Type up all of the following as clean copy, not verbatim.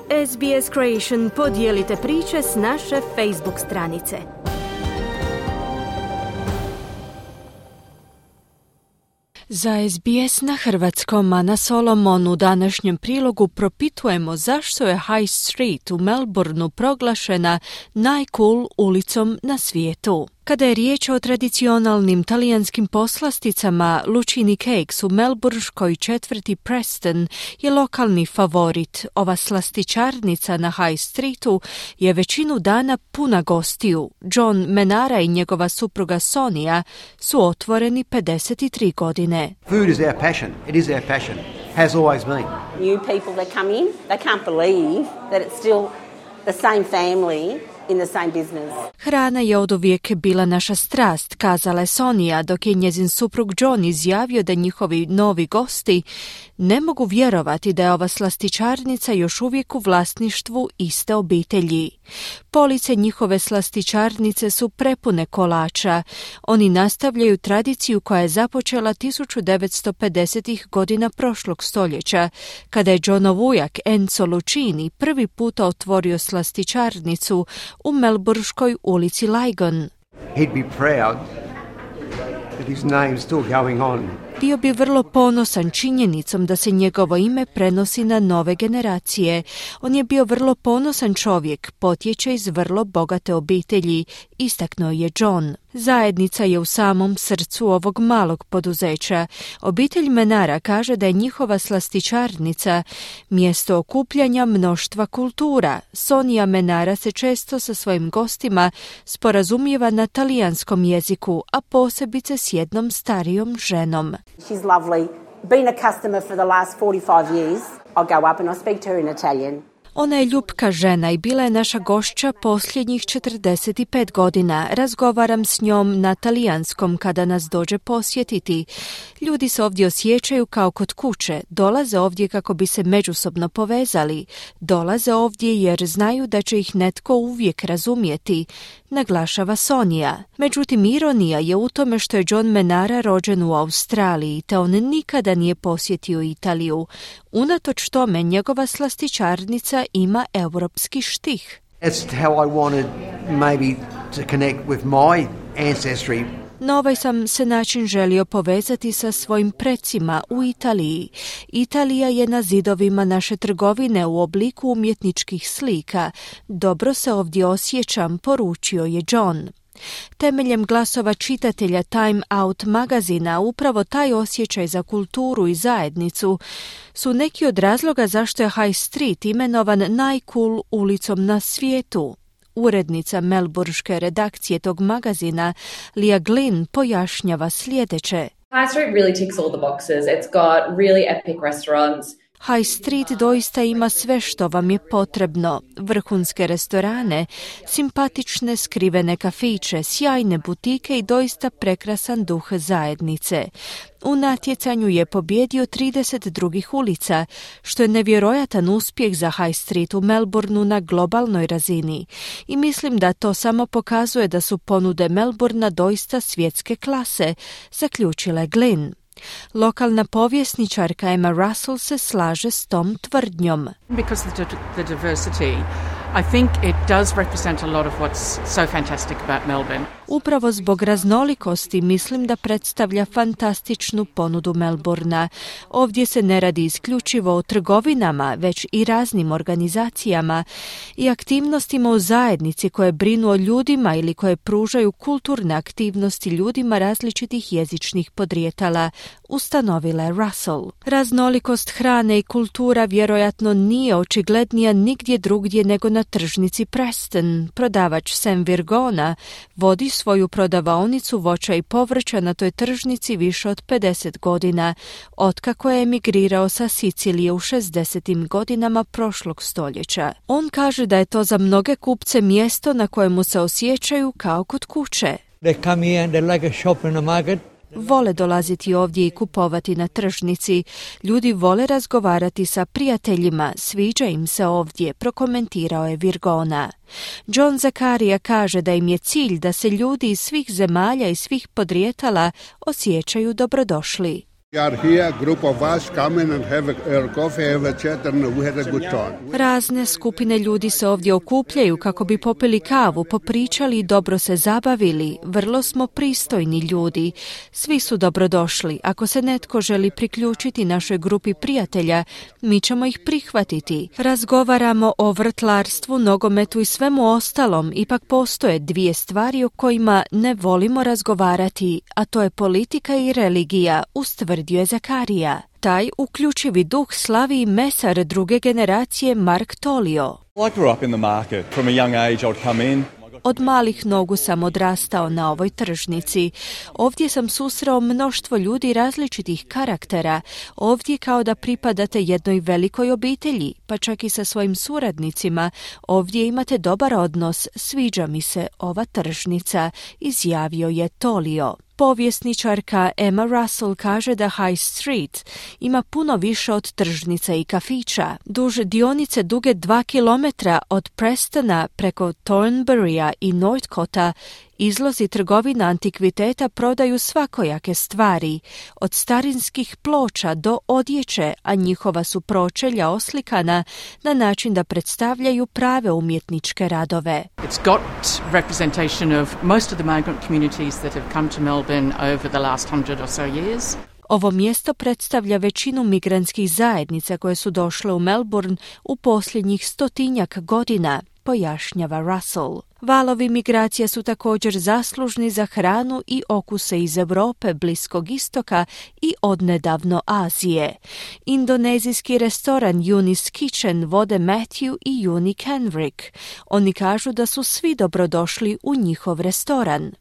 SBS Creation podijelite priče s naše Facebook stranice. Za SBS na hrvatskom Ana Solomon u današnjem prilogu propitujemo zašto je High Street u Melbourneu proglašena najcool ulicom na svijetu. Kada je riječ o tradicionalnim talijanskim poslasticama, Lucini Cakes u melbourneškoj četvrti Preston je lokalni favorit. Ova slastičarnica na High Streetu je većinu dana puna gostiju. John Menara i njegova supruga Sonia su otvoreni 53 godine. Food is our passion. It is our passion. Has always been. New people that come in, they can't believe that it's still the same family in the same business. Hrana je oduvijek bila naša strast, kazala je Sonia, dok je njezin suprug John izjavio da njihovi novi gosti ne mogu vjerovati da je ova slastičarnica još uvijek u vlasništvu iste obitelji. Police njihove slastičarnice su prepune kolača. Oni nastavljaju tradiciju koja je započela 1950-ih godina prošlog stoljeća, kada je Johnov ujak Enzo Lucini prvi puta otvorio slastičarnicu u melbourneškoj ulici Lygon. He'd be proud that his name's still going on. Bio bi vrlo ponosan činjenicom da se njegovo ime prenosi na nove generacije. On je bio vrlo ponosan čovjek, potječe iz vrlo bogate obitelji, istaknuo je John. Zajednica je u samom srcu ovog malog poduzeća. Obitelj Menara kaže da je njihova slastičarnica mjesto okupljanja mnoštva kultura. Sonia Menara se često sa svojim gostima sporazumijeva na talijanskom jeziku, a posebice s jednom starijom ženom. She's lovely. Been a customer for the last 45 years. I'll go up and I'll speak to her in Italian. Ona je ljubka žena i bila je naša gošća posljednjih 45 godina. Razgovaram s njom na talijanskom kada nas dođe posjetiti. Ljudi se ovdje osjećaju kao kod kuće. Dolaze ovdje kako bi se međusobno povezali. Dolaze ovdje jer znaju da će ih netko uvijek razumjeti, naglašava Sonia. Međutim, ironija je u tome što je John Menara rođen u Australiji, te on nikada nije posjetio Italiju. Unatoč tome, njegova slastičarnica ima europski štih. That's how I wanted maybe to connect with my ancestry. Na ovaj sam se način želio povezati sa svojim precima u Italiji. Italija je na zidovima naše trgovine u obliku umjetničkih slika. Dobro se ovdje osjećam, poručio je John. Temeljem glasova čitatelja Time Out magazina, upravo taj osjećaj za kulturu i zajednicu su neki od razloga zašto je High Street imenovan najcool ulicom na svijetu. Urednica melbourneške redakcije tog magazina, Leah Glynn, pojašnjava sljedeće. High Street really ticks all the boxes. It's got really epic restaurants. High Street doista ima sve što vam je potrebno. Vrhunske restorane, simpatične skrivene kafiće, sjajne butike i doista prekrasan duh zajednice. U natjecanju je pobjedio 30 drugih ulica, što je nevjerojatan uspjeh za High Street u Melbourneu na globalnoj razini. I mislim da to samo pokazuje da su ponude Melbournea doista svjetske klase, zaključila je Glynn. Lokalna povjesničarka Emma Russell se slaže s tom tvrdnjom. Because of the diversity, I think it does represent a lot of what's so fantastic about Melbourne. Upravo zbog raznolikosti mislim da predstavlja fantastičnu ponudu Melbournea. Ovdje se ne radi isključivo o trgovinama, već i raznim organizacijama i aktivnostima u zajednici koje brinu o ljudima ili koje pružaju kulturne aktivnosti ljudima različitih jezičnih podrijetala, ustanovila je Russell. Raznolikost hrane i kultura vjerojatno nije očiglednija nigdje drugdje nego na tržnici Preston. Prodavač Sam Virgona vodi svoju prodavaonicu voća i povrća na toj tržnici više od 50 godina, otkako je emigrirao sa Sicilije u 60. godinama prošlog stoljeća. On kaže da je to za mnoge kupce mjesto na kojemu se osjećaju kao kod kuće. They come here and they like a shop in a market. Vole dolaziti ovdje i kupovati na tržnici. Ljudi vole razgovarati sa prijateljima, sviđa im se ovdje, prokomentirao je Virgona. John Zakaria kaže da im je cilj da se ljudi iz svih zemalja i svih podrijetala osjećaju dobrodošli. Razne skupine ljudi se ovdje okupljaju kako bi popili kavu, popričali i dobro se zabavili. Vrlo smo pristojni ljudi. Svi su dobrodošli. Ako se netko želi priključiti našoj grupi prijatelja, mi ćemo ih prihvatiti. Razgovaramo o vrtlarstvu, nogometu i svemu ostalom. Ipak postoje dvije stvari o kojima ne volimo razgovarati, a to je politika i religija, ustvrdio je Zakarija. Taj uključivi duh slavi i mesar druge generacije Mark Tolio. Od malih nogu sam odrastao na ovoj tržnici. Ovdje sam susreo mnoštvo ljudi različitih karaktera. Ovdje kao da pripadate jednoj velikoj obitelji, pa čak i sa svojim suradnicima. Ovdje imate dobar odnos, sviđa mi se ova tržnica, izjavio je Tolio. Povjesničarka Emma Russell kaže da High Street ima puno više od tržnica i kafića. Duž dionice duge 2 kilometra od Prestona preko Thornburya i Northcota izlozi trgovina antikviteta prodaju svakojake stvari, od starinskih ploča do odjeće, a njihova su pročelja oslikana na način da predstavljaju prave umjetničke radove. It's got representation of most of the migrant communities that have come to Melbourne over the last 100 or so years. Ovo mjesto predstavlja većinu migrantskih zajednica koje su došle u Melbourne u posljednjih 100-tinjak godina, pojašnjava Russell. Valovi migracija su također zaslužni za hranu i okuse iz Europe, Bliskog istoka i odnedavno Azije. Indonezijski restoran Uni's Kitchen vode Matthew i Uni Kenrick. Oni kažu da su svi dobrodošli u njihov restoran.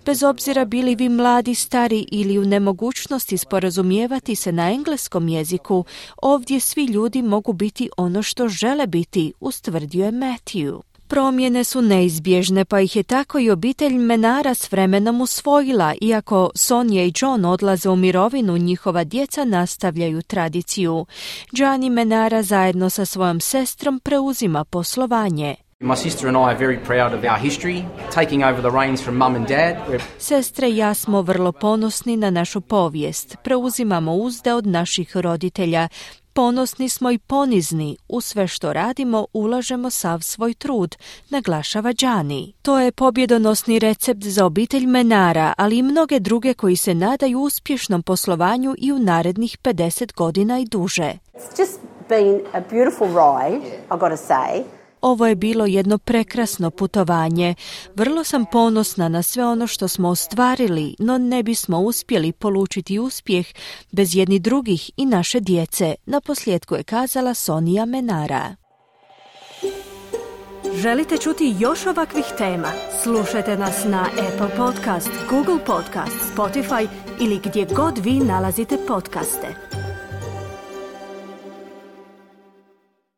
Bez obzira bili vi mladi, stari ili u nemogućnosti sporazumijevati se na engleskom jeziku, ovdje svi ljudi mogu biti ono što žele biti, ustvrdio je Matthew. Promjene su neizbježne, pa ih je tako i obitelj Menara s vremenom usvojila. Iako Sonja i John odlaze u mirovinu, njihova djeca nastavljaju tradiciju. Gianni Menara zajedno sa svojom sestrom preuzima poslovanje. My sister and I are very proud of our history, taking over the reins from mum and dad. Sestre i ja smo vrlo ponosni na našu povijest. Preuzimamo uzde od naših roditelja. Ponosni smo i ponizni. U sve što radimo ulažemo sav svoj trud, naglašava Gianni. To je pobjedonosni recept za obitelj Menara, ali i mnoge druge koji se nadaju uspješnom poslovanju i u narednih 50 godina i duže. It's just been a beautiful ride, I've got to say. Ovo je bilo jedno prekrasno putovanje. Vrlo sam ponosna na sve ono što smo ostvarili, no ne bismo uspjeli polučiti uspjeh bez jedni drugih i naše djece, naposljetku je kazala Sonja Menara. Želite čuti još ovakvih tema? Slušajte nas na Apple Podcast, Google Podcast, Spotify ili gdje god vi nalazite podcaste.